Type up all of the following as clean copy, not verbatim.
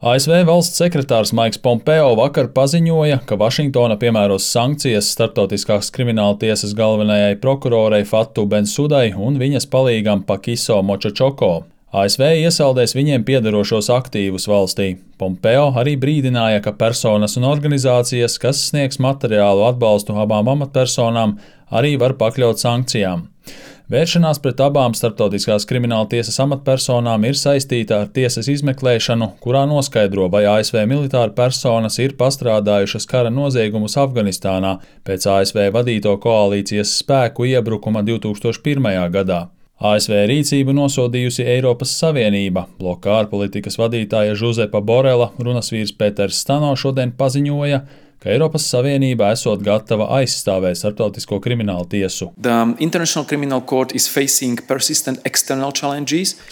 ASV valsts sekretārs Maiks Pompeo vakar paziņoja, ka Vašingtona piemēros sankcijas Starptautiskās krimināla tiesas galvenajai prokurorei Fatu Bensudai un viņas palīgam Pakiso Močočoko. ASV iesaldēs viņiem piederošos aktīvus valstī. Pompeo arī brīdināja, ka personas un organizācijas, kas sniegs materiālu atbalstu abām amatpersonām, arī var pakļaut sankcijām. Vēršanās pret abām Starptautiskās krimināla tiesas amatpersonām ir saistīta ar tiesas izmeklēšanu, kurā noskaidro, vai ASV militāra personas ir pastrādājušas kara noziegumus Afganistānā pēc ASV vadīto koalīcijas spēku iebrukuma 2001. gadā. ASV rīcību nosodījusi Eiropas Savienība. Bloka ārpolitikas vadītāja Žuzepa Borela runasvīrs Pēters Stano šodien paziņoja, ka Eiropas Savienība esot gatava aizstāvēt Starptautisko kriminālu tiesu.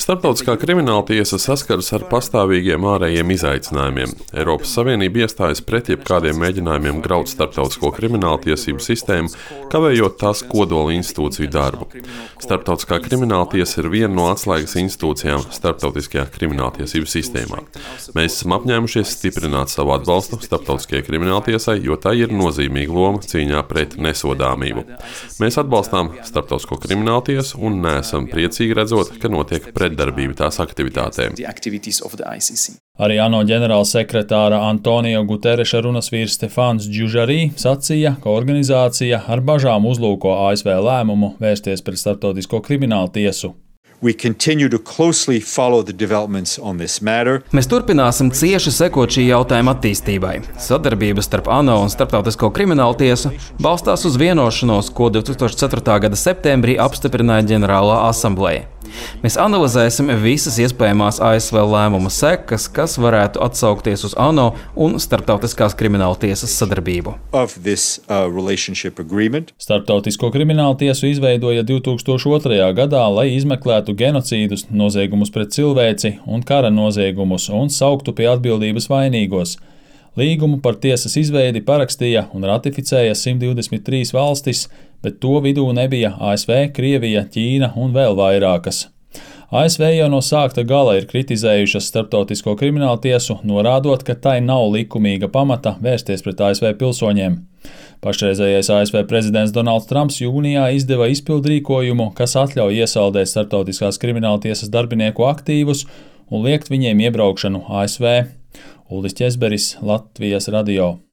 Starptautiskā krimināla tiesa saskaras ar pastāvīgiem ārējiem izaicinājumiem. Eiropas Savienība iestājas pret jebkādiem mēģinājumiem graut starptautisko krimināla tiesību sistēmu, kavējot tās kodola institūciju darbu. Starptautiskā krimināla tiesa ir viena no atslēgas institūcijām starptautiskajā krimināla tiesību sistēmā. Mēs esam apņēmušies stiprināt savu atbalstu starptautiskajai krimināla tiesai, jo tā ir nozīmīga loma cīņā pret nesodāmību. Mēs atbalstām Starptautisko kriminālu tiesu un neesam priecīgi redzot, ka notiek pretdarbība tās aktivitātēm. Arī ANO ģenerālsekretāra Antonio Gutereša runasvīrs Stefans Džužarī sacīja, ka organizācija ar bažām uzlūko ASV lēmumu vērsties pret Starptautisko kriminālu tiesu. Mēs turpināsim cieši sekot šī jautājuma attīstībai. Sadarbība starp ANO un Starptautisko kriminālu tiesu balstās uz vienošanos, ko 2004. gada septembrī apstiprināja ģenerālā asambleja. Mēs analizēsim visas iespējamās ASV lēmuma sekas, kas varētu atsaukties uz ANO un Starptautiskās krimināla tiesas sadarbību. Starptautisko kriminālu tiesu izveidoja 2002. gadā, lai izmeklētu genocīdus, noziegumus pret cilvēci un kara noziegumus un sauktu pie atbildības vainīgos. Līgumu par tiesas izveidi parakstīja un ratificēja 123 valstis, bet to vidū nebija ASV, Krievija, Ķīna un vēl vairākas. ASV jau no sākta gala ir kritizējušas Starptautisko kriminālu tiesu, norādot, ka tai nav likumīga pamata vērsties pret ASV pilsoņiem. Pašreizējais ASV prezidents Donalds Trumps jūnijā izdeva izpildrīkojumu, kas atļauj iesaldēt Starptautiskās krimināla tiesas darbinieku aktīvus un liekt viņiem iebraukšanu ASV. Uldis Ķezberis, Latvijas radio.